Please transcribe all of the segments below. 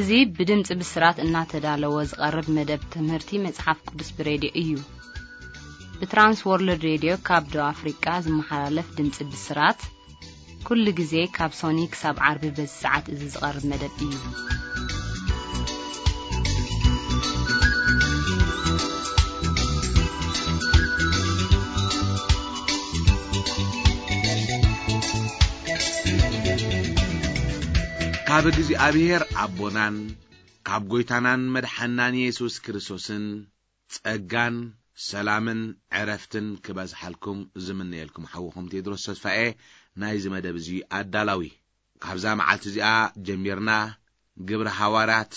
እዚ ብድምጺ ብስራት እናተዳለወ ዝቐርብ መደብ ትምህርቲ መጽሓፍ ቅዱስ ብሬድዮ እዩ። ብትራንስ ወርልድ ሬድዮ ካብ ደቡብ ኣፍሪቃ ዝመሓላለፍ ድምጺ ብስራት፣ ኩሉ ግዜ ካብ ሶኒ ክሳብ ዓርቢ በዚ ሰዓት እዚ ዝቐርብ መደብ እዩ። ካብ እግዚኣብሔር ኣቦናን ካብ ጐይታናን መድሓናን የሱስ ክርስቶስን ጸጋን ሰላምን ዕረፍትን ክበዝሓልኩም ዝምነየልኩም ሓውኹም ቴድሮስ ተስፋኤ ናይዚ መደብ እዚ ኣዳላዊ። ካብዛ መዓልቲ እዚኣ ጀሚርና ግብሪ ሃዋርያት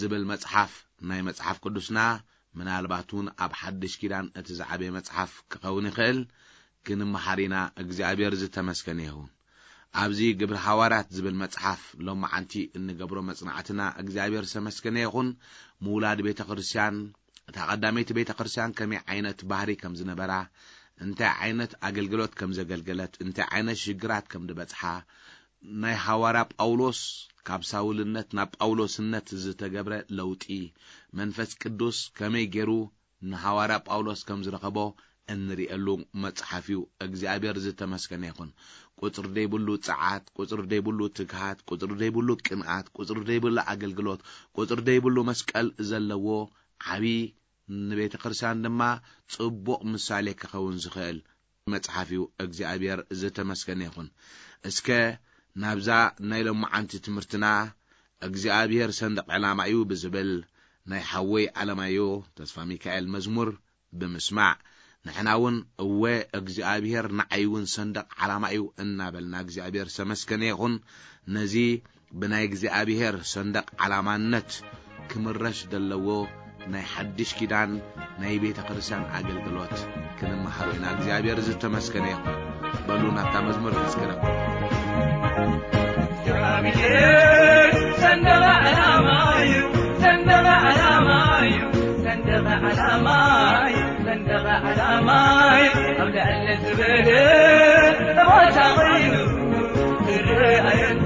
ዝብል መጽሓፍ ናይ መጽሓፍ ቅዱስና፣ ምናልባት እውን ኣብ ሓድሽ ኪዳን እቲ ዝዓበየ መጽሓፍ ክኸውን ይኽእል፣ ክንመሃር ኢና። እግዚኣብሔር ዝተመስገነ ይኹን። ኣብዚ ግብሪ ሃዋርያት ዝብል መጽሓፍ ሎማዓንቲ እንገብሮ መጽናዕትና እግዚኣብሔር ዝተመስገነ ይኹን። ምውላድ ቤተ ክርስቲያን፣ እታ ቀዳመይቲ ቤተ ክርስቲያን ከመይ ዓይነት ባህሪ ከም ዝነበራ፣ እንታይ ዓይነት ኣገልግሎት ከም ዘገልገለት፣ እንታይ ዓይነት ሽግራት ከም ዝበጽሓ፣ ናይ ሃዋርያ ጳውሎስ ካብ ሳውልነት ናብ ጳውሎስነት ዝተገብረ ለውጢ፣ መንፈስ ቅዱስ ከመይ ገይሩ ንሃዋርያ ጳውሎስ ከም ዝረኸቦ እንርእየሉ መጽሓፍ እዩ። እግዚኣብሔር ዝተመስገነ ይኹን። ቁጽሪ ዘይብሉ ጸዓት፣ ቁጽሪ ዘይብሉ ትግሃት፣ ቁጽሪ ዘይብሉ ቅንኣት፣ ቁጽሪ ዘይብሉ ኣገልግሎት፣ ቁጽሪ ዘይብሉ መስቀል ዘለዎ ዓቢ፣ ንቤተ ክርስቲያን ድማ ጽቡቕ ምሳሌ ክኸውን ዝኽእል መጽሓፍ እዩ። እግዚኣብሔር ዝተመስገነ ይኹን። እስከ ናብዛ ናይ ሎማዓንቲ ትምህርትና እግዚኣብሔር ሰንደቕ ዕላማ እዩ ብዝብል ናይ ሓወይ ኣለማዮ ተስፋ ሚካኤል መዝሙር ብምስማዕ፣ ንሕና እውን እወ እግዚኣብሔር ንዓይ እውን ሰንደቕ ዓላማ እዩ እናበልና እግዚኣብሔር ዝተመስገነ ይኹን። ነዚ ብናይ እግዚኣብሔር ሰንደቕ ዓላማነት ክምረሽ ዘለዎ ናይ ሓድሽ ኪዳን ናይ ቤተ ክርስቲያን ኣገልግሎት ክንመሃሮ ኢና። እግዚኣብሔር ዝተመስገነ ይኹን። በሉ ናብታ መዝሙር እስኪ ንግበር። እግዚኣብሔር ሰንደቕ ዓላማ እዩ፣ ሰንደቕ ዓላማ እዩ፣ ሰንደቕ ዓላማ እዩ፣ ሰንደቕ ዓላማ እዩ። ኣብ ልዕሊ ዝበለ ቦታ ኮይኑ ዝረኣየኒ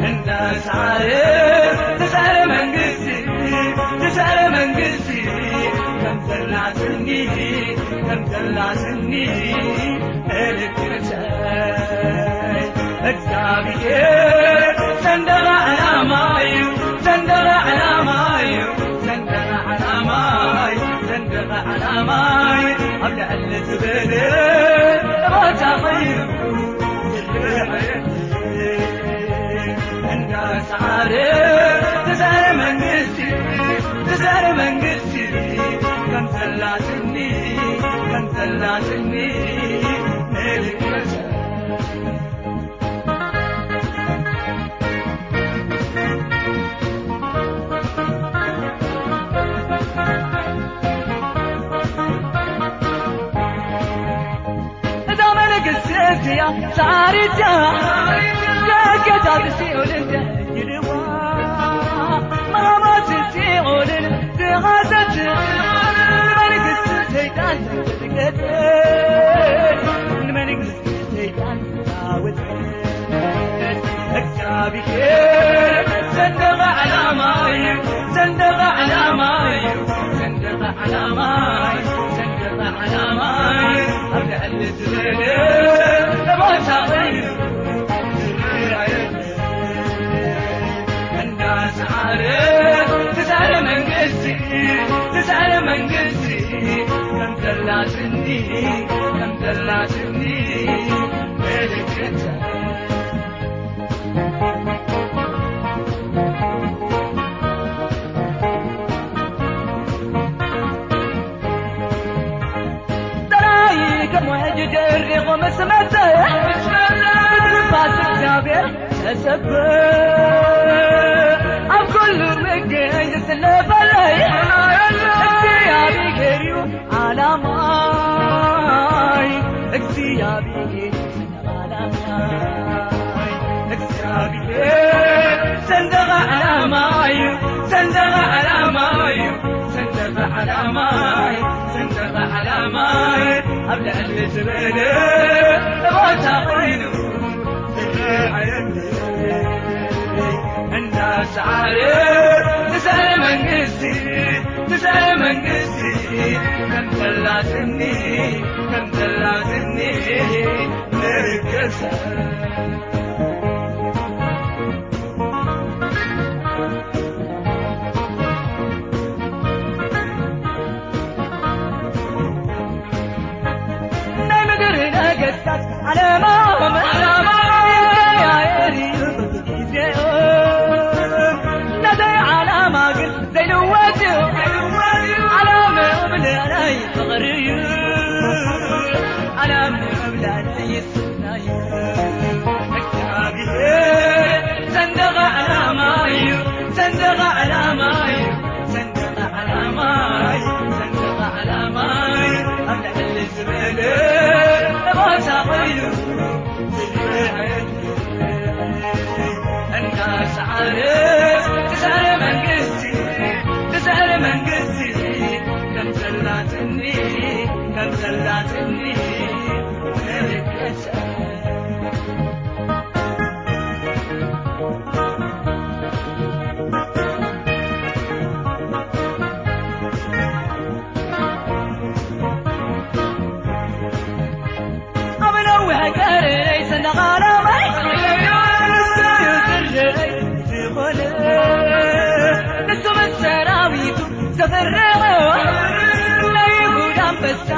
እንዳሳረ ተሳረ መንግስቲ፣ ተሳረ መንግስቲ ከም ዘላትኒ፣ ከም ዘላትኒ ምልክተይ። እግዚኣብሔር ሰንደቕ ዓላማ እዩ፣ ሰንደቕ ዓላማ እዩ፣ ሰንደቕ ዓላማ እዩ፣ ሰንደቕ ዓላማ እዩ። ኣብ ልዕሊ ዝበለ ቦታ ኮይኑ ዝረኣየኒ እንዳሳረ ተሳረ መንግስቲ፣ ተሳረ መንግስቲ ከም ዘላትኒ፣ ከም ዘላትኒ ምልክተይ። እዛ መንግስቲ እዚኣ ሳሪታ ደገታት ሲኦል እንተይልዋ፣ ማማት ሲኦልን ዝሓዘት፣ ንመንግስቲ ሰይጣን ዘደንገጸት፣ ንመንግስቲ ሰይጣን ዝዓወተት። እግዚኣብሔር ሰንደቕ ዓላማ እዩ፣ ሰንደቕ ዓላማ እዩ፣ ሰንደቕ ዓላማ እዩ፣ ሰንደቕ ዓላማ እዩ። ኣብ ልዕሊ ዝበለ ቦታ ኮይኑ ዝረኣየኒ እንዳሰዓረ ተሳረ መንግስቲ፣ ተሳረ መንግስቲ ከም ዘላትኒ፣ ከም ዘላትኒ ምልክተይ። ጥራይ ከም ውሕጅ ደሪቑ ምስ መጸ፣ ብትንፋስ እግዚኣብሔር ተሰበ። ኣብ ኩሉ ምገኝ ዝስለፈለይ እግዚኣብሔር እዩ ዓላማይ፣ እግዚኣብሔር ሰንደቕ ዓላማይ፣ እግዚኣብሔር ሰንደቕ ዓላማ እዩ፣ ሰንደቕ ዓላማ እዩ፣ ሰንደቕ ዓላማ እዩ፣ ሰንደቕ ዓላማ እዩ። ኣብ ልዕሊ ዝበለ ቦታ ኮይኑ ዝረኣየኒ እንዳ ዓርብ ትስዕር መንግስቲ፣ ትስዕር መንግስቲ፣ ከም ዘላትኒ፣ ከም ዘላትኒ ንርገሳ። ናይ ምድሪ ነገስታት ዓለማኦም፣ ዓለማኦም ይቀያየር እዩ በብግዜኡ። ናተይ ዓላማ ግን ዘይልወጥ እዩ። ዓላምኦም ልዕላይ ፍቕሪ እዩ። ዓላምኦም ልዕላይ ስና እዩ። እግዚኣብሔር ሰንደቕ ዓላማ እዩ። ሰንደቕ ዓላማ እዩ። ሰንደቕ ዓላማይ፣ ሰንደቕ ዓላማይ፣ ኣብ ልዕሊ ዝበለ ቦታ ኮይኑ ዝረኣየኒ። እንዳሰዓረ ትስዕር መንግስቲ፣ ትስዕር መንግስቲ፣ ከም ዘላትኒ፣ ከም ዘላትኒ ንርገጸ። ኣብ ነዊሕ ቀረነይ ሰንደቕ ዓላማይ፣ ንሱ እዩ ዝረኣይ ዝኾነ። ንሱ ምስ ሰራዊቱ ዘፍርዖ ናይ ይሁዳ ኣንበሳ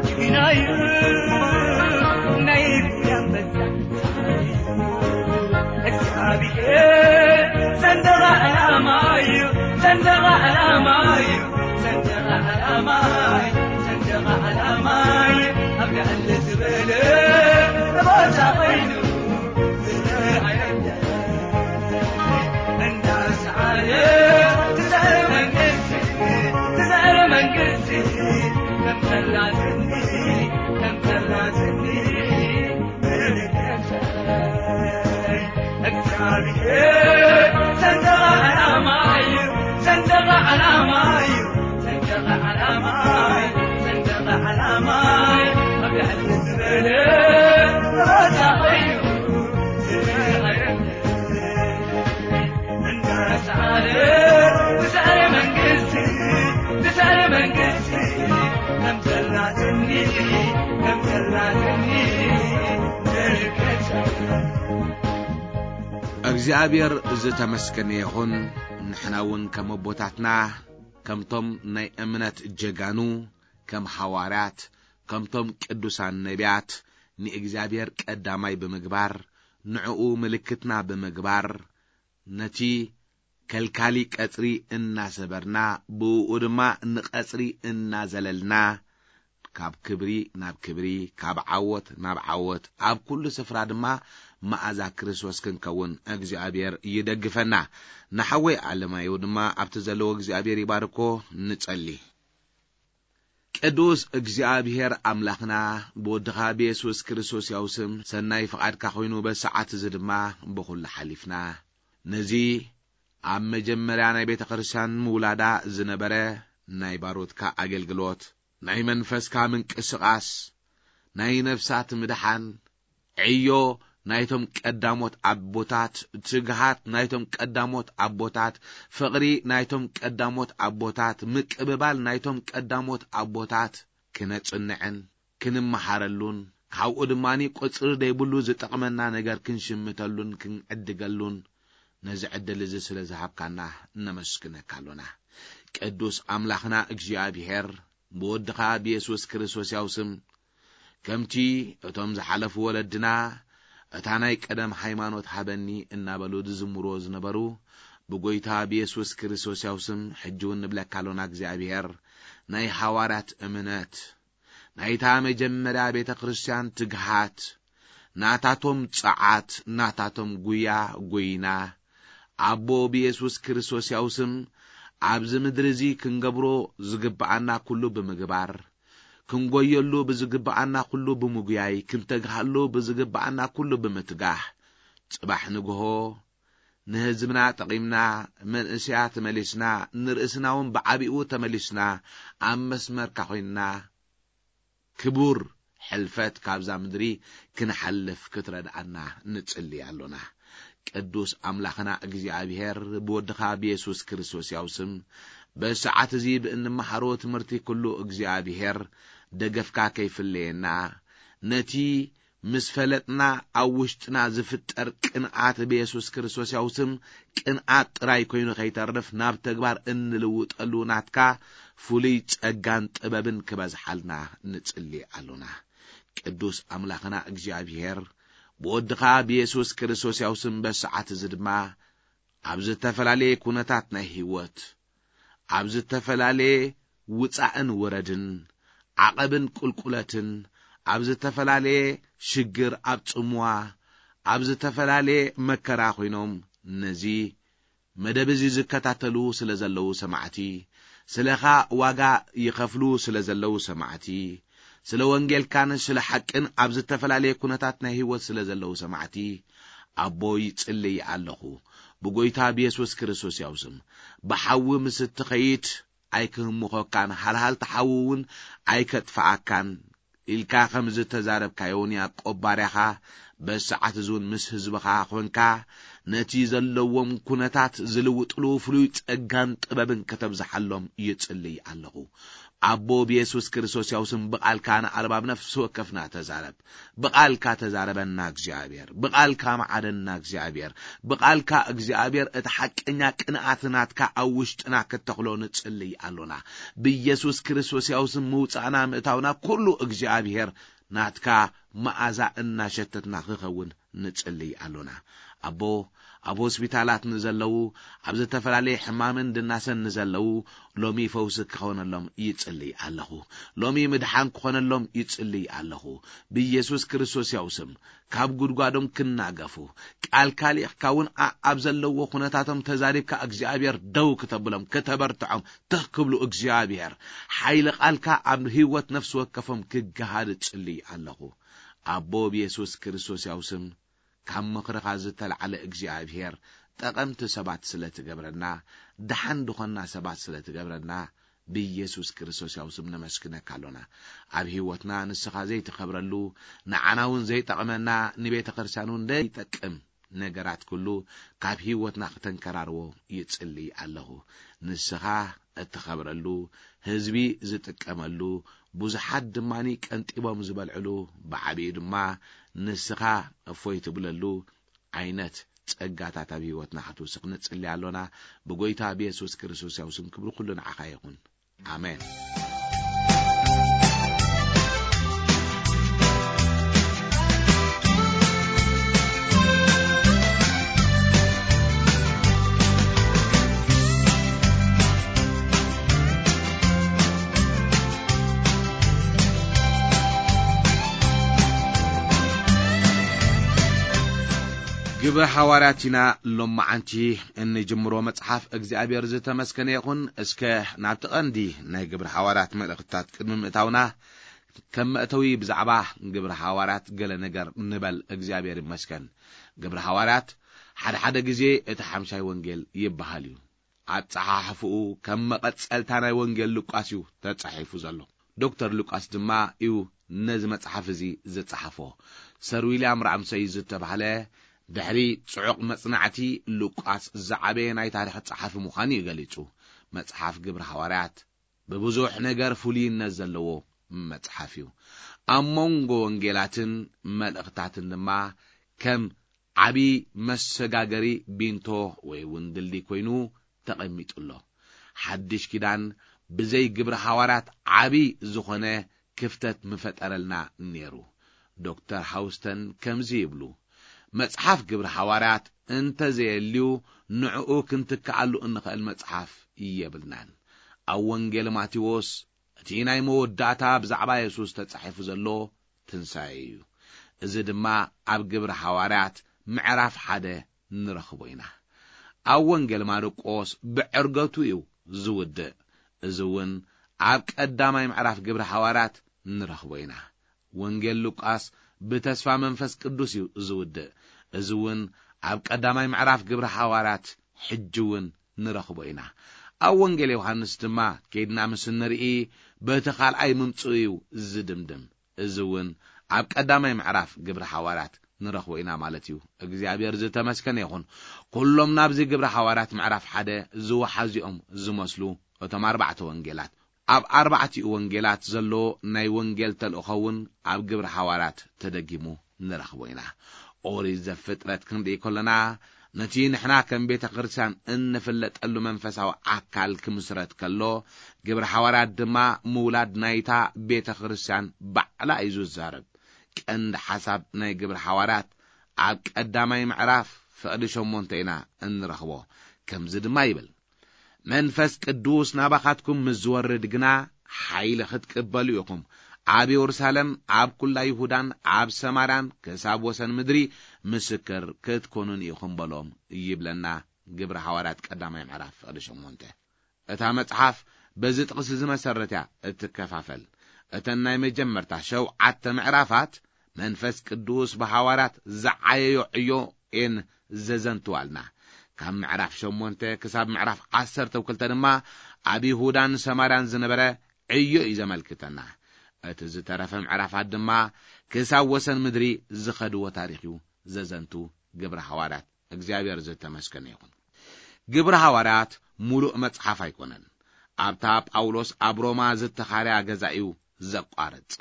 ጅግና እዩ፣ ናይ ይሁዳ ኣንበሳ። እግዚኣብሔር ሰንደቕ ዓላማ እዩ፣ ሰንደቕ ዓላማ እዩ፣ ሰንደቕ ዓላማ እዩ፣ ሰንደቕ ዓላማ እዩ። ኣብ ልዕሊ ዝበለ ቦታ ኮይኑ ዝረኣየኒ። እንዳሰዓረ ትስዕር መንግስቲ፣ ትስዕር መንግስቲ፣ ከም ዘላትኒ፣ ከም ዘላትኒ ንርገጸ። እግዚኣብሔር ሰንደቕ ዓላማ እዩ፣ ሰንደቕ ዓላማ እዩ፣ ሰንደቕ ዓላማ እዩ፣ ሰንደቕ ዓላማ እዩ። ኣብ ልዕሊ ዝበለ ቦታ ኮይኑ ዝረኣየኒ። እንዳሰዓረ ትስዕር መንግስቲ፣ ትስዕር መንግስቲ፣ ከም ዘላትኒ፣ ከም ዘላትኒ ንርገጸ። እግዚኣብሔር ዝተመስገነ ይኹን። ንሕና እውን ከም ኣቦታትና፣ ከምቶም ናይ እምነት ጀጋኑ፣ ከም ሃዋርያት፣ ከምቶም ቅዱሳን ነቢያት፣ ንእግዚኣብሔር ቀዳማይ ብምግባር፣ ንዕኡ ምልክትና ብምግባር፣ ነቲ ከልካሊ ቀጽሪ እናሰበርና፣ ብእኡ ድማ ንቐጽሪ እናዘለልና፣ ካብ ክብሪ ናብ ክብሪ፣ ካብ ዓወት ናብ ዓወት፣ ኣብ ኩሉ ስፍራ ድማ መኣዛ ክርስቶስ ክንከውን እግዚኣብሔር ይደግፈና። ንሓወይ ኣለማየሁ ድማ ኣብቲ ዘለዎ እግዚኣብሔር ይባርኮ። ንጸሊ። ቅዱስ እግዚኣብሔር ኣምላኽና፣ ብወድኻ ብየሱስ ክርስቶስ ያው ስም ሰናይ ፍቓድካ ኮይኑ፣ በዚ ሰዓት እዚ ድማ ብኹሉ ሓሊፍና ነዚ ኣብ መጀመርያ ናይ ቤተ ክርስቲያን ምውላዳ ዝነበረ ናይ ባሮትካ ኣገልግሎት፣ ናይ መንፈስካ ምንቅስቓስ፣ ናይ ነፍሳት ምድሓን፣ ዕዮ ናይቶም ቀዳሞት ኣቦታት፣ ትግሃት ናይቶም ቀዳሞት ኣቦታት፣ ፍቕሪ ናይቶም ቀዳሞት ኣቦታት፣ ምቅብባል ናይቶም ቀዳሞት ኣቦታት ክነጽንዕን ክንመሃረሉን፣ ካብኡ ድማ ቁጽሪ ዘይብሉ ዝጠቕመና ነገር ክንሽምተሉን ክንዕድገሉን፣ ነዚ ዕድል እዚ ስለ ዝሃብካና ነመስግነካ ኣሎና። ቅዱስ ኣምላኽና እግዚኣብሔር፣ ብወድኻ ብየሱስ ክርስቶስ ያው ስም፣ ከምቲ እቶም ዝሓለፉ ወለድና፣ "እታ ናይ ቀደም ሃይማኖት ሃበኒ" እናበሉ ዝዝምርዎ ዝነበሩ፣ ብጎይታ ብየሱስ ክርስቶስ ያው ስም ሕጂ እውን ንብለካ ኣሎና። እግዚኣብሔር፣ ናይ ሃዋርያት እምነት፣ ናይታ መጀመርያ ቤተ ክርስቲያን ትግሃት፣ ናታቶም ጸዓት፣ ናታቶም ጉያ ጎይና፣ ኣቦ ብየሱስ ክርስቶስ ያው ስም፣ ኣብዚ ምድሪ እዚ ክንገብሮ ዝግብኣና ኩሉ ብምግባር፣ ክንጎየሉ ብዝግብኣና ኩሉ ብምጉያይ፣ ክንተግሃሉ ብዝግብኣና ኩሉ ብምትጋህ፣ ጽባሕ ንግሆ ንህዝብና ጠቒምና፣ መንእሰያት መሊስና፣ ንርእስና እውን ብዓቢኡ ተመሊስና፣ ኣብ መስመርካ ኮይንና፣ ክቡር ሕልፈት ካብዛ ምድሪ ክንሓልፍ ክትረድኣና ንጽሊ ኣሎና። ቅዱስ ኣምላኽና እግዚኣብሔር ብወድኻ ብየሱስ ክርስቶስ ያው ስም በሰዓት እዚ ብእንመሃሮ ትምህርቲ ኩሉ እግዚኣብሔር ደገፍካ ከይፍለየና ነቲ ምስ ፈለጥና ኣብ ውሽጥና ዝፍጠር ቅንኣት ብየሱስ ክርስቶስ ያው ስም ቅንኣት ጥራይ ኮይኑ ከይተርፍ ናብ ተግባር እንልውጠሉ ናትካ ፍሉይ ጸጋን ጥበብን ክበዝሓልና ንጽሊ ኣሎና። ቅዱስ ኣምላኽና እግዚኣብሔር ብወድኻ ብየሱስ ክርስቶስ ያው ስም በሰዓት እዚ ድማ ኣብ ዝተፈላለየ ኩነታት ናይ ህይወት ኣብ ዝተፈላለየ ውጻእን ውረድን ዓቐብን ቁልቁለትን ኣብ ዝተፈላለየ ሽግር ኣብ ጽምዋ ኣብ ዝተፈላለየ መከራ ኮይኖም ነዚ መደብ እዚ ዝከታተሉ ስለ ዘለዉ ሰማዕቲ ስለኻ ዋጋ ይኸፍሉ ስለ ዘለዉ ሰማዕቲ ስለ ወንጌልካን ስለ ሓቅን ኣብ ዝተፈላለየ ኩነታት ናይ ህይወት ስለ ዘለዉ ሰማዕቲ ኣቦ ይጽልይ ኣለኹ ብጎይታ ብየሱስ ክርስቶስ ያውስም ብሓዊ ምስ እትኸይድ ኣይክህምኾካን ሃልሃል ተሓዊ እውን ኣይከጥፍኣካን ኢልካ ከም ዝተዛረብካዮ ንያቆብ ባርያኻ በሰዓት እዙን ምስ ህዝብኻ ኮንካ ነቲ ዘለዎም ኩነታት ዝልውጥሉ ፍሉይ ጸጋን ጥበብን ከተብዝሓሎም ይጽልይ ኣለኹ። ኣቦ ብየሱስ ክርስቶስ ያውስም ብቓልካ ንኣልባብ ነፍሲ ወከፍና ተዛረብ። ብቓልካ ተዛረበና እግዚኣብሔር፣ ብቓልካ መዓደና እግዚኣብሔር፣ ብቓልካ እግዚኣብሔር እቲ ሓቀኛ ቅንኣት ናትካ ኣብ ውሽጥና ክተኽሎ ንጽልይ ኣሎና። ብየሱስ ክርስቶስ ያውስም ምውጻእና ምእታውና ኩሉ እግዚኣብሔር ናትካ መኣዛ እናሸተትና ክኸውን ንጽልይ ኣሎና። ኣቦ ኣብ ሆስፒታላት ንዘለዉ ኣብ ዝተፈላለየ ሕማምን ድናሰን ንዘለዉ ሎሚ ፈውሲ ክኾነሎም ይጽልይ ኣለኹ። ሎሚ ምድሓን ክኾነሎም ይጽልይ ኣለኹ። ብየሱስ ክርስቶስ ያው ስም ካብ ጉድጓዶም ክናገፉ ቃልካ ሊእኽካ እውን ኣብ ዘለዎ ኩነታቶም ተዛሪብካ እግዚኣብሔር ደው ክተብሎም ከተበርትዖም ትኽ ክብሉ እግዚኣብሔር ሓይሊ ቃልካ ኣብ ህይወት ነፍሲ ወከፎም ክገሃድ እጽልይ ኣለኹ። ኣቦ ብየሱስ ክርስቶስ ያው ስም ካብ ምኽርኻ ዝተላዕለ እግዚኣብሔር ጠቐምቲ ሰባት ስለ ትገብረና ደሓን ድኾና ሰባት ስለ ትገብረና ብኢየሱስ ክርስቶስ ያው ስም ነመስግነካ ኣሎና። ኣብ ህይወትና ንስኻ ዘይትኸብረሉ ንዓና እውን ዘይጠቕመና ንቤተ ክርስቲያን እውን ዘይጠቅም ነገራት ኩሉ ካብ ህይወትና ክተንከራርዎ ይጽልይ ኣለኹ። ንስኻ እትኸብረሉ ህዝቢ ዝጥቀመሉ ብዙሓት ድማኒ ቀንጢቦም ዝበልዕሉ ብዓቢኡ ድማ ንስኻ እፎይ ትብለሉ ዓይነት ጸጋታት ኣብ ህይወትና ክትውስኽ ንጽሊ ኣሎና። ብጎይታ ብየሱስ ክርስቶስ ያው ስም ክብሪ ኩሉ ንዓኻ ይኹን። ኣሜን። ግብረ ሓዋርያት ኢና ሎመዓንቲ እንጅምሮ መጽሓፍ እግዚኣብሔር ዝተመስገነ ይኹን። እስከ ናብቲ ቀንዲ ናይ ግብረ ሓዋርያት መልእኽትታት ቅድሚ ምእታውና ከም መእተዊ ብዛዕባ ግብረ ሓዋርያት ገለ ነገር ንበል። እግዚኣብሔር ይመስገን። ግብረ ሓዋርያት ሓደ ሓደ ግዜ እቲ ሓምሻይ ወንጌል ይበሃል እዩ። ኣጸሓሕፍኡ ከም መቐጸልታ ናይ ወንጌል ሉቃስ እዩ ተጻሒፉ ዘሎ። ዶክተር ሉቃስ ድማ እዩ ነዚ መጽሓፍ እዚ ዝጸሓፎ። ሰር ዊልያም ራምሰይ ዝተባህለ ድሕሪ ጽዑቕ መጽናዕቲ ሉቃስ ዝዓበየ ናይ ታሪኽ ጸሓፊ ምዃኑ እዩ ገሊጹ። መጽሓፍ ግብሪ ሃዋርያት ብብዙሕ ነገር ፍሉይነት ዘለዎ መጽሓፍ እዩ። ኣብ መንጎ ወንጌላትን መልእኽታትን ድማ ከም ዓቢ መሰጋገሪ ቢንቶ ወይ እውን ድልድይ ኮይኑ ተቐሚጡ ኣሎ። ሓድሽ ኪዳን ብዘይ ግብሪ ሃዋርያት ዓቢ ዝኾነ ክፍተት ምፈጠረልና ነይሩ። ዶክተር ሃውስተን ከምዚ ይብሉ፣ መጽሓፍ ግብሪ ሃዋርያት እንተዘየልዩ ንዕኡ ክንትክኣሉ እንኽእል መጽሓፍ የብልናን። ኣብ ወንጌል ማቴዎስ እቲ ናይ መወዳእታ ብዛዕባ የሱስ ተጻሒፉ ዘሎ ትንሳኤ እዩ። እዚ ድማ ኣብ ግብሪ ሃዋርያት ምዕራፍ ሓደ ንረኽቦ ኢና። ኣብ ወንጌል ማርቆስ ብዕርገቱ እዩ ዝውድእ። እዚ እውን ኣብ ቀዳማይ ምዕራፍ ግብሪ ሃዋርያት ንረኽቦ ኢና። ወንጌል ሉቃስ ብተስፋ መንፈስ ቅዱስ እዩ ዝውድእ። እዚ እውን ኣብ ቀዳማይ ምዕራፍ ግብሪ ሃዋርያት ሕጂ እውን ንረኽቦ ኢና። ኣብ ወንጌል ዮሃንስ ድማ ከይድና ምስ እንርኢ በቲ ካልኣይ ምምጽኡ እዩ ዝድምድም። እዚ እውን ኣብ ቀዳማይ ምዕራፍ ግብሪ ሃዋርያት ንረኽቦ ኢና ማለት እዩ። እግዚኣብሔር ዝተመስገነ ይኹን። ኩሎም ናብዚ ግብረ ሓዋርያት ምዕራፍ ሓደ ዝወሓዙ እዮም ዝመስሉ እቶም ኣርባዕተ ወንጌላት። ኣብ ኣርባዕቲኡ ወንጌላት ዘሎ ናይ ወንጌል ተልእኾ እውን ኣብ ግብረ ሓዋርያት ተደጊሙ ንረኽቦ ኢና። ኦሪት ዘፍጥረት ክንርኢ ከለና፣ ነቲ ንሕና ከም ቤተ ክርስቲያን እንፍለጠሉ መንፈሳዊ ኣካል ክምስረት ከሎ፣ ግብረ ሓዋርያት ድማ ምውላድ ናይታ ቤተ ክርስቲያን ባዕላ እዩ ዝዛረብ። ቀንዲ ሓሳብ ናይ ግብረ ሓዋርያት ኣብ ቀዳማይ ምዕራፍ ፍቕዲ ሸሞንተ ኢና እንረኽቦ። ከምዚ ድማ ይብል፣ መንፈስ ቅዱስ ናባኻትኩም ምስ ዝወርድ ግና ሓይሊ ክትቅበሉ ኢኹም። ኣብ የሩሳሌም፣ ኣብ ኩላ ይሁዳን ኣብ ሰማርያን ክሳብ ወሰን ምድሪ ምስክር ክትኮኑን ኢኹም በሎም ይብለና ግብረ ሓዋርያት ቀዳማይ ምዕራፍ ፍቕዲ ሸሞንተ። እታ መጽሓፍ በዚ ጥቕሲ ዝመሰረት እያ እትከፋፈል። እተን ናይ መጀመርታ ሸውዓተ ምዕራፋት መንፈስ ቅዱስ ብሓዋርያት ዝዓየዮ ዕዮ እየን ዘዘንትዋልና። ካብ ምዕራፍ ሸሞንተ ክሳብ ምዕራፍ ዓሰርተ ክልተ ድማ ኣብ ይሁዳን ሰማርያን ዝነበረ ዕዮ እዩ ዘመልክተና። እቲ ዝተረፈ ምዕራፋት ድማ ክሳብ ወሰን ምድሪ ዝኸድዎ ታሪኽ እዩ ዘዘንቱ ግብረ ሓዋርያት። እግዚኣብሔር ዝተመስገነ ይኹን። ግብረ ሓዋርያት ሙሉእ መጽሓፍ ኣይኮነን። ኣብታ ጳውሎስ ኣብ ሮማ ዝተኻርያ ገዛ እዩ ዘቋርጽ።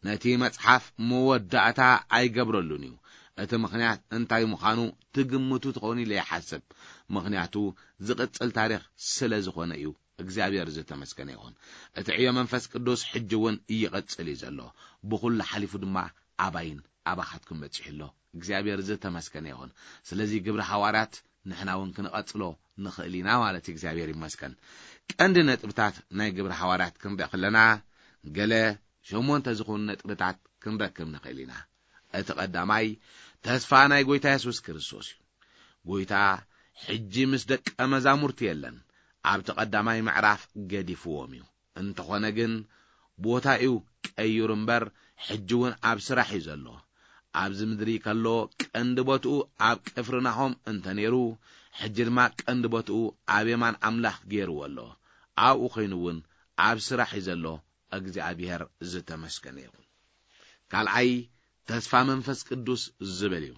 ነቲ መጽሓፍ መወዳእታ ኣይገብረሉን እዩ። እቲ ምኽንያት እንታይ ምዃኑ ትግምቱ ትኸውን ኢለ ይሓስብ። ምኽንያቱ ዝቕጽል ታሪኽ ስለ ዝኾነ እዩ። እግዚኣብሔር ዝተመስገነ ይኹን። እቲ ዕዮ መንፈስ ቅዱስ ሕጂ እውን ይቕጽል እዩ ዘሎ። ብኹሉ ሓሊፉ ድማ ኣባይን ኣባኻትኩም በጺሑ ኣሎ። እግዚኣብሔር ዝተመስገነ ይኹን። ስለዚ ግብረ ሓዋርያት ንሕና እውን ክንቐጽሎ ንኽእል ኢና ማለት እዩ። እግዚኣብሔር ይመስገን። ቀንዲ ነጥብታት ናይ ግብረ ሓዋርያት ክንርኢ ከለና፣ ገለ ሸሞንተ ዝኾኑ ነጥብታት ክንረክብ ንኽእል ኢና። እቲ ቀዳማይ፣ ተስፋ ናይ ጎይታ የሱስ ክርስቶስ እዩ። ጎይታ ሕጂ ምስ ደቀ መዛሙርቲ የለን። ኣብቲ ቀዳማይ ምዕራፍ ገዲፍዎም እዩ። እንተኾነ ግን፣ ቦታ እዩ ቀይሩ እምበር፣ ሕጂ እውን ኣብ ስራሕ እዩ ዘሎ። ኣብዚ ምድሪ ከሎ ቀንዲ ቦትኡ ኣብ ቅፍርናሆም እንተ ነይሩ፣ ሕጂ ድማ ቀንዲ ቦትኡ ኣብ የማን ኣምላኽ ገይርዎ ኣሎ። ኣብኡ ኮይኑ እውን ኣብ ስራሕ እዩ ዘሎ። እግዚኣብሔር ዝተመስገነ ይኹን። ካልኣይ፣ ተስፋ መንፈስ ቅዱስ ዝብል እዩ።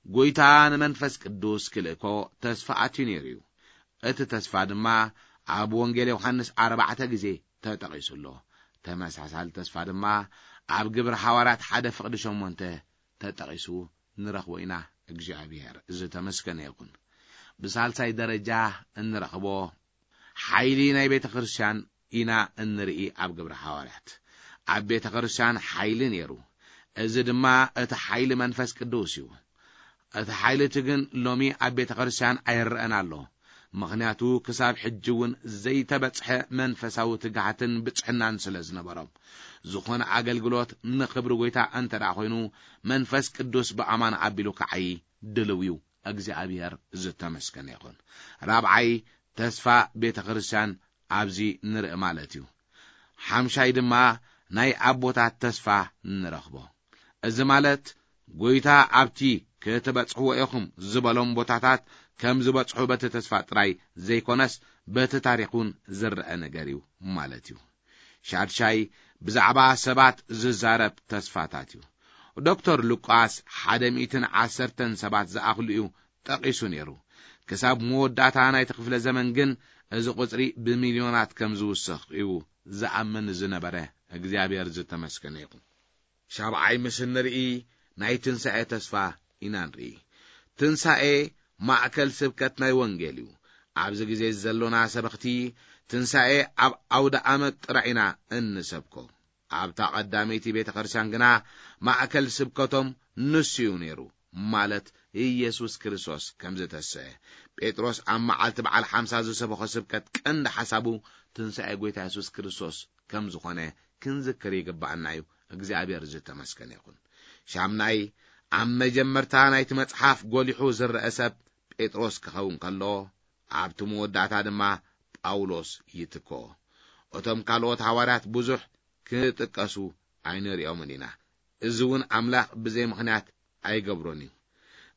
ጎይታ ንመንፈስ ቅዱስ ክልእኮ ተስፋ ኣትዩ ነይሩ እዩ። እቲ ተስፋ ድማ ኣብ ወንጌል ዮሃንስ ኣርባዕተ ግዜ ተጠቒሱ ኣሎ። ተመሳሳሊ ተስፋ ድማ ኣብ ግብረ ሓዋርያት ሓደ ፍቕዲ ሸሞንተ ተጠቒሱ ንረኽቦ ኢና። እግዚኣብሔር ዝተመስገነ ይኹን። ብሳልሳይ ደረጃ እንረኽቦ ሓይሊ ናይ ቤተ ክርስቲያን ኢና እንርኢ ኣብ ግብረ ሓዋርያት። ኣብ ቤተ ክርስቲያን ሓይሊ ነይሩ። እዚ ድማ እቲ ሓይሊ መንፈስ ቅዱስ እዩ። እቲ ሓይሊ እቲ ግን ሎሚ ኣብ ቤተ ክርስቲያን ኣይረኣን ኣሎ። ምኽንያቱ ክሳብ ሕጂ እውን ዘይተበጽሐ መንፈሳዊ ትግሃትን ብጽሕናን ስለ ዝነበሮም። ዝኾነ ኣገልግሎት ንኽብሪ ጎይታ እንተ ደኣ ኮይኑ መንፈስ ቅዱስ ብኣማን ኣቢሉ ክዓዪ ድልው እዩ። እግዚኣብሔር ዝተመስገነ ይኹን። ራብዓይ ተስፋ ቤተ ክርስቲያን ኣብዚ ንርኢ ማለት እዩ። ሓምሻይ ድማ ናይ ኣቦታት ተስፋ ንረኽቦ። እዚ ማለት ጎይታ ኣብቲ ክትበጽሕዎ ኢኹም ዝበሎም ቦታታት ከም ዝበጽሑ በቲ ተስፋ ጥራይ ዘይኮነስ በቲ ታሪኽ እውን ዝረአ ነገር እዩ ማለት እዩ። ሻድሻይ ብዛዕባ ሰባት ዝዛረብ ተስፋታት እዩ። ዶክተር ሉቃስ ሓደ ሚእትን ዓሰርተን ሰባት ዝኣኽሉ እዩ ጠቒሱ ነይሩ። ክሳብ መወዳእታ ናይቲ ክፍለ ዘመን ግን እዚ ቁጽሪ ብሚልዮናት ከም ዝውስኽ እዩ ዝኣምን ዝነበረ። እግዚኣብሔር ዝተመስገነ ይኹን። ሻብዓይ ምስ እንርኢ ናይ ትንሳኤ ተስፋ ኢና ንርኢ። ትንሳኤ ማእከል ስብከት ናይ ወንጌል እዩ። ኣብዚ ግዜ ዘሎና ሰበኽቲ ትንሳኤ ኣብ ኣውደ ኣመት ጥራይ ኢና እንሰብኮ። ኣብታ ቀዳመይቲ ቤተ ክርስቲያን ግና ማእከል ስብከቶም ንሱ እዩ ነይሩ፣ ማለት ኢየሱስ ክርስቶስ ከም ዝተሰአ። ጴጥሮስ ኣብ መዓልቲ በዓል ሓምሳ ዝሰበኾ ስብከት ቀንዲ ሓሳቡ ትንሳኤ ጎይታ የሱስ ክርስቶስ ከም ዝኾነ ክንዝክር ይግባኣና እዩ። እግዚኣብሔር ዝተመስገነ ይኹን። ሻምናይ፣ ኣብ መጀመርታ ናይቲ መጽሓፍ ጎሊሑ ዝረአ ሰብ ጴጥሮስ ክኸውን ከሎ፣ ኣብቲ መወዳእታ ድማ ጳውሎስ ይትክኦ። እቶም ካልኦት ሃዋርያት ብዙሕ ክጥቀሱ ኣይንርእዮምን ኢና። እዚ እውን ኣምላኽ ብዘይ ምኽንያት ኣይገብሮን እዩ።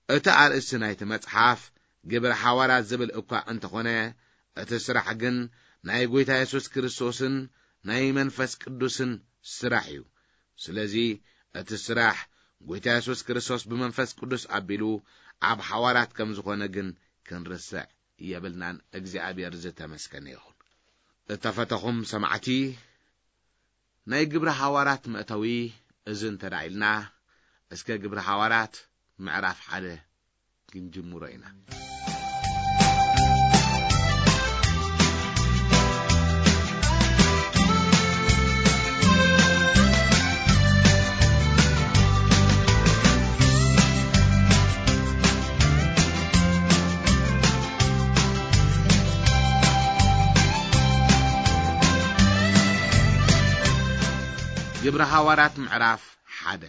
እቲ ኣርእስቲ ናይቲ መጽሓፍ ግብረ ሓዋርያት ዝብል እኳ እንተኾነ፣ እቲ ስራሕ ግን ናይ ጐይታ የሱስ ክርስቶስን ናይ መንፈስ ቅዱስን ስራሕ እዩ። ስለዚ እቲ ስራሕ ጎይታ የሱስ ክርስቶስ ብመንፈስ ቅዱስ ኣቢሉ ኣብ ሓዋርያት ከም ዝኾነ ግን ክንርስዕ የብልናን። እግዚኣብሔር ዝተመስገነ ይኹን። እተፈተኹም ሰማዕቲ፣ ናይ ግብሪ ሓዋርያት መእተዊ እዚ እንተ ደኣ ኢልና፣ እስከ ግብሪ ሓዋርያት ምዕራፍ ሓደ ክንጅምሮ ኢና። ግብሪ ሃዋርያት ምዕራፍ ሓደ።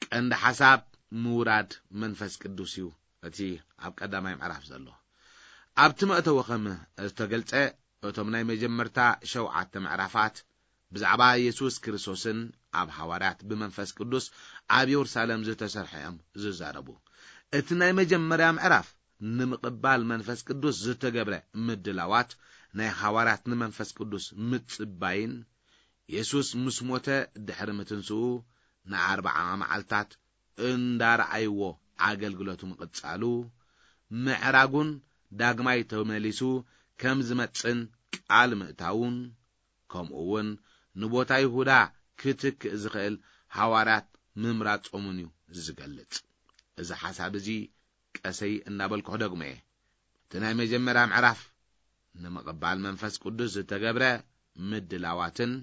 ቀንዲ ሓሳብ ምውራድ መንፈስ ቅዱስ እዩ። እቲ ኣብ ቀዳማይ ምዕራፍ ዘሎ ኣብቲ መእተዊ ከም ዝተገልጸ፣ እቶም ናይ መጀመርታ ሸውዓተ ምዕራፋት ብዛዕባ የሱስ ክርስቶስን ኣብ ሃዋርያት ብመንፈስ ቅዱስ ኣብ የሩሳሌም ዝተሰርሐ እዮም ዝዛረቡ። እቲ ናይ መጀመርያ ምዕራፍ ንምቕባል መንፈስ ቅዱስ ዝተገብረ ምድላዋት፣ ናይ ሃዋርያት ንመንፈስ ቅዱስ ምጽባይን፣ የሱስ ምስ ሞተ ድሕሪ ምትንስኡ ንኣርብዓ መዓልታት እንዳረኣይዎ ኣገልግሎቱ ምቕጻሉ፣ ምዕራጉን ዳግማይ ተመሊሱ ከም ዝመጽእን ቃል ምእታውን፣ ከምኡ እውን ንቦታ ይሁዳ ክትክእ ዝኽእል ሃዋርያት ምምራጾምን እዩ ዝገልጽ። እዚ ሓሳብ እዚ ቀሰይ እናበልኩ ክደግሞ እየ። እቲ ናይ መጀመርያ ምዕራፍ ንምቕባል መንፈስ ቅዱስ ዝተገብረ ምድላዋትን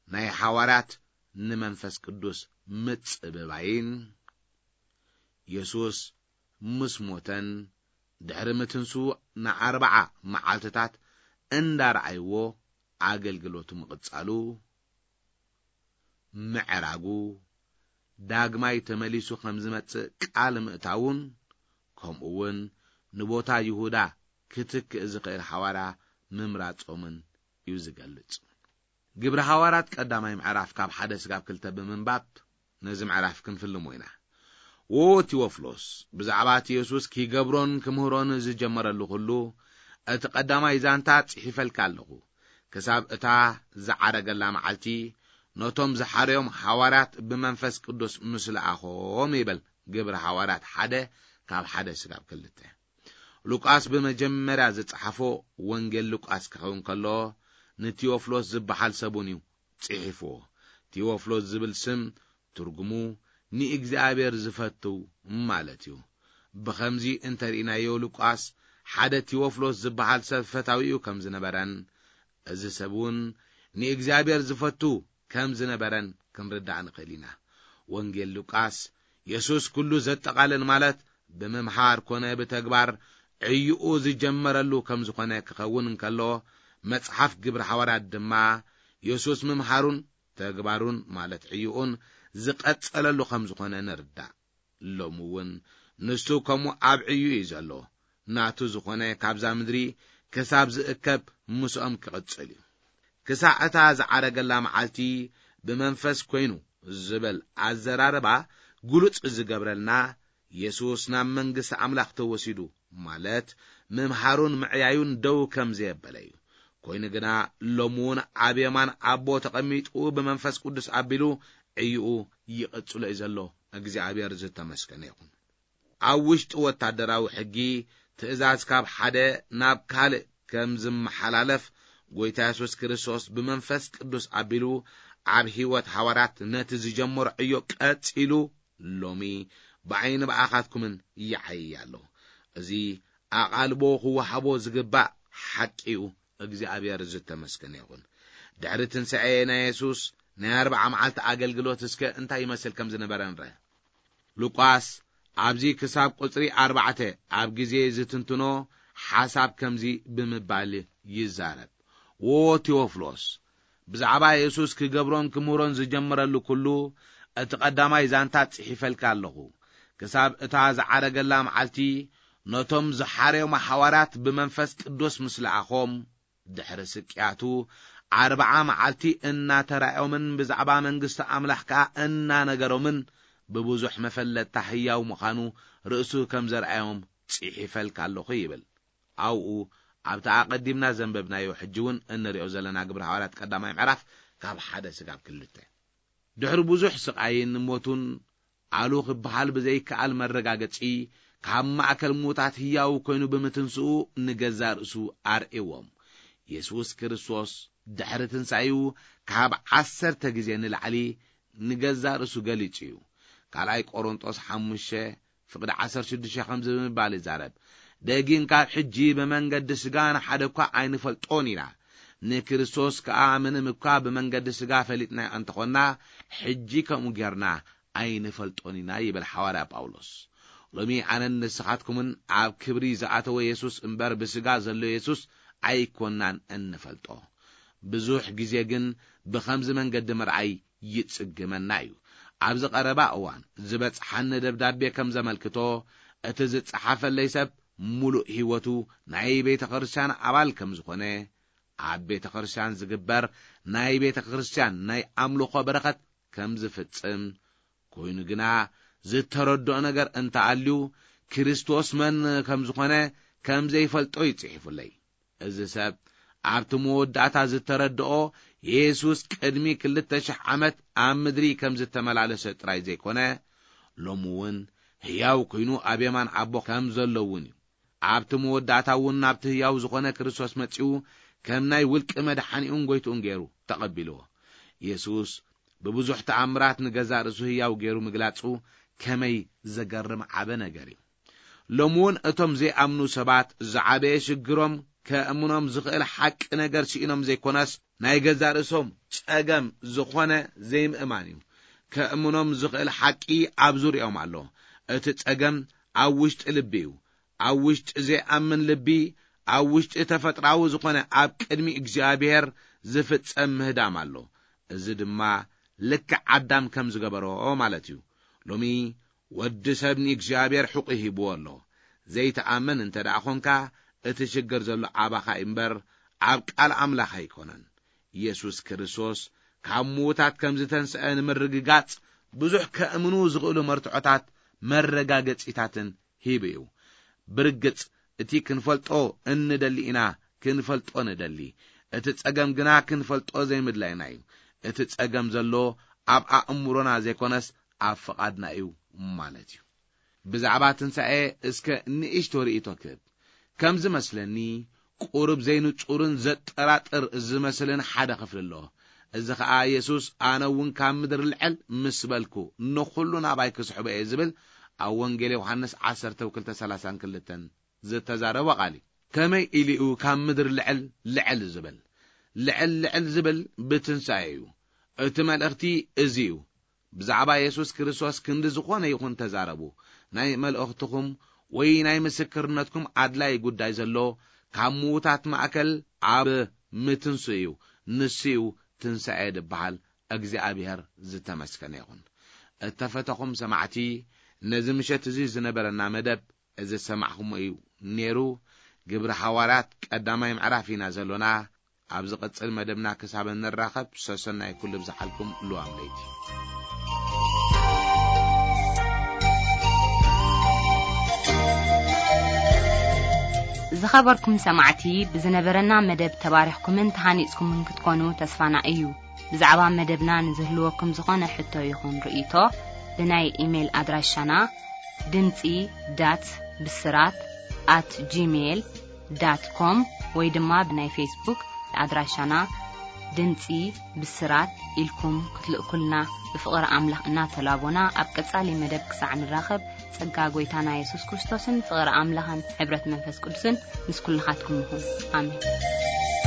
ናይ ሃዋርያት ንመንፈስ ቅዱስ ምጽብባይን፣ የሱስ ምስ ሞተን ድሕሪ ምትንስኡ ንኣርብዓ መዓልትታት እንዳረኣይዎ ኣገልግሎቱ ምቕጻሉ፣ ምዕራጉ፣ ዳግማይ ተመሊሱ ከም ዝመጽእ ቃል ምእታውን፣ ከምኡ እውን ንቦታ ይሁዳ ክትክእ ዝኽእል ሓዋርያ ምምራጾምን እዩ ዝገልጽ። ግብሪ ሃዋርያት ቀዳማይ ምዕራፍ ካብ ሓደ ስጋብ ክልተ ብምንባብ ነዚ ምዕራፍ ክንፍልሞ ኢና። "ዎ ቲዎፍሎስ፣ ብዛዕባ እቲ የሱስ ኪገብሮን ክምህሮን ዝጀመረሉ ኩሉ፣ እቲ ቀዳማይ ዛንታ ጽሒፈልካ ኣለኹ፣ ክሳብ እታ ዝዓረገላ መዓልቲ፣ ነቶም ዝሓረዮም ሃዋርያት ብመንፈስ ቅዱስ ምስ ለኣኾም" ይብል ግብሪ ሃዋርያት ሓደ ካብ ሓደ ስጋብ ክልተ። ሉቃስ ብመጀመርያ ዝጸሓፎ ወንጌል ሉቃስ ክኸውን ከሎ፣ ንቲዎፍሎስ ዝበሃል ሰቡን እዩ ጽሒፍዎ። ቲዎፍሎስ ዝብል ስም ትርጉሙ ንእግዚኣብሔር ዝፈቱ ማለት እዩ። ብኸምዚ እንተርኢናዮ፣ ሉቃስ ሓደ ቲዎፍሎስ ዝበሃል ሰብ ፈታዊኡ ከም ዝነበረን፣ እዚ ሰብ እውን ንእግዚኣብሔር ዝፈቱ ከም ዝነበረን ክንርዳእ ንኽእል ኢና። ወንጌል ሉቃስ የሱስ ኩሉ ዘጠቓልል፣ ማለት ብምምሃር ኮነ ብተግባር ዕዩኡ ዝጀመረሉ ከም ዝኾነ ክኸውን እንከሎ፣ መጽሓፍ ግብሪ ሃዋርያት ድማ የሱስ ምምሃሩን ተግባሩን፣ ማለት ዕዩኡን ዝቐጸለሉ ከም ዝኾነ ንርዳእ። ሎሚ እውን ንሱ ከምኡ ኣብ ዕዩ እዩ ዘሎ። ናቱ ዝኾነ ካብዛ ምድሪ ክሳብ ዝእከብ ምስኦም ክቕጽል እዩ። ክሳዕ እታ ዝዓረገላ መዓልቲ ብመንፈስ ኮይኑ ዝብል ኣዘራርባ ግሉጽ ዝገብረልና፣ የሱስ ናብ መንግስቲ ኣምላኽ ተወሲዱ፣ ማለት ምምሃሩን ምዕያዩን ደው ከም ዘየበለ እዩ። ኮይኑ ግና ሎሚ እውን ኣብ የማን ኣቦ ተቐሚጡ ብመንፈስ ቅዱስ ኣቢሉ ዕዩኡ ይቕጽሎ እዩ ዘሎ። እግዚኣብሔር ዝተመስገነ ይኹን። ኣብ ውሽጢ ወታደራዊ ሕጊ ትእዛዝ ካብ ሓደ ናብ ካልእ ከም ዝመሓላለፍ፣ ጎይታ የሱስ ክርስቶስ ብመንፈስ ቅዱስ ኣቢሉ ኣብ ህይወት ሃዋርያት ነቲ ዝጀመሮ ዕዮ ቀጺሉ፣ ሎሚ ብዓይኒ ብኣኻትኩምን ይዓይይ ኣሎ። እዚ ኣቓልቦ ክወሃቦ ዝግባእ ሓቂ እዩ። እግዚኣብሔር ዝተመስገነ ይኹን። ድሕሪ ትንሳኤ ናይ የሱስ ናይ ኣርብዓ መዓልቲ ኣገልግሎት እስከ እንታይ ይመስል ከም ዝነበረ ንርአ። ሉቃስ ኣብዚ ክሳብ ቁጽሪ ኣርባዕተ ኣብ ግዜ ዝትንትኖ ሓሳብ ከምዚ ብምባል ይዛረብ። "ዎ ቴዎፍሎስ፣ ብዛዕባ የሱስ ክገብሮን ክምህሮን ዝጀመረሉ ኩሉ እቲ ቀዳማይ ዛንታ ጽሒፈልካ ኣለኹ። ክሳብ እታ ዝዓረገላ መዓልቲ ነቶም ዝሓረዮም ሓዋርያት ብመንፈስ ቅዱስ ምስ ለኣኾም፣ ድሕሪ ስቅያቱ ኣርብዓ መዓልቲ እናተራእዮምን ብዛዕባ መንግስቲ ኣምላኽ ከኣ እናነገሮምን፣ ብብዙሕ መፈለጥታ ህያው ምዃኑ ርእሱ ከም ዘርኣዮም ጽሒፈልካ ኣለኹ" ይብል። ኣብኡ ኣብቲ ኣቐዲምና ዘንበብናዮ፣ ሕጂ እውን እንሪኦ ዘለና ግብሪ ሃዋርያት ቀዳማይ ምዕራፍ ካብ ሓደ ስጋብ ክልተ። ድሕሪ ብዙሕ ስቓይን ሞቱን ኣሉ ክበሃል ብዘይከኣል መረጋገጺ፣ ካብ ማእከል ምዉታት ህያው ኮይኑ ብምትንስኡ ንገዛእ ርእሱ ኣርእዎም። የሱስ ክርስቶስ ድሕሪ ትንሳኤኡ ካብ ዓሰርተ ግዜ ንላዕሊ ንገዛእ ርእሱ ገሊጹ እዩ። ካልኣይ ቆሮንጦስ ሓሙሽተ ፍቕዲ ዓሰርተ ሽዱሽተ ከምዚ ብምባል ይዛረብ፣ "ደጊም ካብ ሕጂ ብመንገዲ ስጋ ንሓደ እኳ ኣይንፈልጦን ኢና። ንክርስቶስ ከኣ ምንም እኳ ብመንገዲ ስጋ ፈሊጥናዮ እንተኾንና፣ ሕጂ ከምኡ ጌርና ኣይንፈልጦን ኢና" ይብል ሓዋርያ ጳውሎስ። ሎሚ ኣነን ንስኻትኩምን ኣብ ክብሪ ዝኣተወ የሱስ እምበር ብስጋ ዘሎ የሱስ ኣይኮናን እንፈልጦ። ብዙሕ ግዜ ግን ብኸምዚ መንገዲ ምርኣይ ይጽግመና እዩ። ኣብዚ ቀረባ እዋን ዝበጽሓኒ ደብዳቤ ከም ዘመልክቶ፣ እቲ ዝጸሓፈለይ ሰብ ምሉእ ህይወቱ ናይ ቤተ ክርስቲያን ኣባል ከም ዝኾነ፣ ኣብ ቤተ ክርስቲያን ዝግበር ናይ ቤተ ክርስቲያን ናይ ኣምልኾ በረኸት ከም ዝፍጽም፣ ኮይኑ ግና ዝተረድኦ ነገር እንተኣልዩ፣ ክርስቶስ መን ከም ዝኾነ ከም ዘይፈልጦ እዩ ጽሒፉለይ። እዚ ሰብ ኣብቲ መወዳእታ ዝተረድኦ፣ የሱስ ቅድሚ ክልተ ሽሕ ዓመት ኣብ ምድሪ ከም ዝተመላለሰ ጥራይ ዘይኮነ፣ ሎሚ እውን ህያው ኮይኑ ኣብ የማን ኣቦ ከም ዘሎ እውን እዩ። ኣብቲ መወዳእታ እውን ናብቲ ህያው ዝኾነ ክርስቶስ መጺኡ፣ ከም ናይ ውልቂ መድሓኒኡን ጎይትኡን ገይሩ ተቐቢልዎ። የሱስ ብብዙሕ ተኣምራት ንገዛእ ርእሱ ህያው ገይሩ ምግላጹ ከመይ ዘገርም ዓቢ ነገር እዩ! ሎሚ እውን እቶም ዘይኣምኑ ሰባት ዝዓበየ ሽግሮም፣ ከእምኖም ዝኽእል ሓቂ ነገር ስኢኖም ዘይኮነስ፣ ናይ ገዛእ ርእሶም ጸገም ዝኾነ ዘይምእማን እዩ። ከእምኖም ዝኽእል ሓቂ ኣብ ዙርያኦም ኣሎ። እቲ ጸገም ኣብ ውሽጢ ልቢ እዩ። ኣብ ውሽጢ ዘይኣምን ልቢ፣ ኣብ ውሽጢ ተፈጥራዊ ዝኾነ ኣብ ቅድሚ እግዚኣብሔር ዝፍጸም ምህዳም ኣሎ። እዚ ድማ ልክዕ ኣዳም ከም ዝገበሮ ማለት እዩ። ሎሚ ወዲ ሰብ ንእግዚኣብሔር ሕቑ ሂብዎ ኣሎ። ዘይትኣምን እንተ ደኣ ኾንካ፣ እቲ ሽግር ዘሎ ኣባኻ እምበር ኣብ ቃል ኣምላኽ ኣይኮነን። የሱስ ክርስቶስ ካብ ምዉታት ከም ዝተንስአ ንምርግጋጽ፣ ብዙሕ ከእምኑ ዝኽእሉ መርትዖታት መረጋገጺታትን ሂቡ እዩ። ብርግጽ፣ እቲ ክንፈልጦ እንደሊ ኢና፣ ክንፈልጦ ንደሊ። እቲ ጸገም ግና ክንፈልጦ ዘይምድላይና እዩ። እቲ ጸገም ዘሎ ኣብ ኣእምሮና ዘይኮነስ ኣብ ፍቓድና እዩ ማለት እዩ። ብዛዕባ ትንሳኤ እስከ ንእሽቶ ርእይቶ ክህብ። ከም ዝመስለኒ፣ ቁሩብ ዘይንጹርን ዘጠራጥር ዝመስልን ሓደ ክፍሊ ኣሎ። እዚ ኸኣ የሱስ፣ "ኣነ እውን ካብ ምድሪ ልዕል ምስ በልኩ፣ ንኹሉ ናባይ ክስሕቦ እየ" ዝብል ኣብ ወንጌል ዮሃንስ ዓሰርተ ክልተ ሰላሳን ክልተን ዝተዛረቦ ቃል እዩ። ከመይ ኢሉ እዩ ካብ ምድሪ ልዕል ልዕል ዝብል? ልዕል ልዕል ዝብል ብትንሳኤ እዩ። እቲ መልእኽቲ እዚ እዩ። ብዛዕባ የሱስ ክርስቶስ ክንዲ ዝኾነ ይኹን ተዛረቡ። ናይ መልእኽትኹም ወይ ናይ ምስክርነትኩም ኣድላይ ጉዳይ ዘሎ ካብ ምዉታት ማእከል ኣብ ምትንሱ እዩ። ንሱ እዩ ትንሳኤ ዝበሃል። እግዚኣብሔር ዝተመስገነ ይኹን። እተፈተኹም ሰማዕቲ፣ ነዚ ምሸት እዚ ዝነበረና መደብ እዚ ዝሰማዕኹሞ እዩ ነይሩ። ግብሪ ሃዋርያት ቀዳማይ ምዕራፍ ኢና ዘሎና። ኣብ ዝቕጽል መደብና ክሳብ እንራኸብ፣ ሰሰናይ ኩሉ ብዝሓልኩም ልዋም ለይቲ። ዝኸበርኩም ሰማዕቲ፣ ብዝነበረና መደብ ተባሪኽኩምን ተሃኒጽኩምን ክትኮኑ ተስፋና እዩ። ብዛዕባ መደብና ንዝህልወኩም ዝኾነ ሕቶ ይኹን ርእይቶ፣ ብናይ ኢሜይል ኣድራሻና ድምጺ ዳት ብስራት ኣት ጂሜይል ዳት ኮም ወይ ድማ ብናይ ፌስቡክ ኣድራሻና ድምጺ ብስራት ኢልኩም ክትልእኩልና ብፍቕሪ ኣምላኽ እናተላቦና፣ ኣብ ቀጻሊ መደብ ክሳዕ ንራኸብ፣ ጸጋ ጐይታና የሱስ ክርስቶስን ፍቕሪ ኣምላኽን ሕብረት መንፈስ ቅዱስን ምስ ኩልኻትኩም ይኹን። ኣሜን።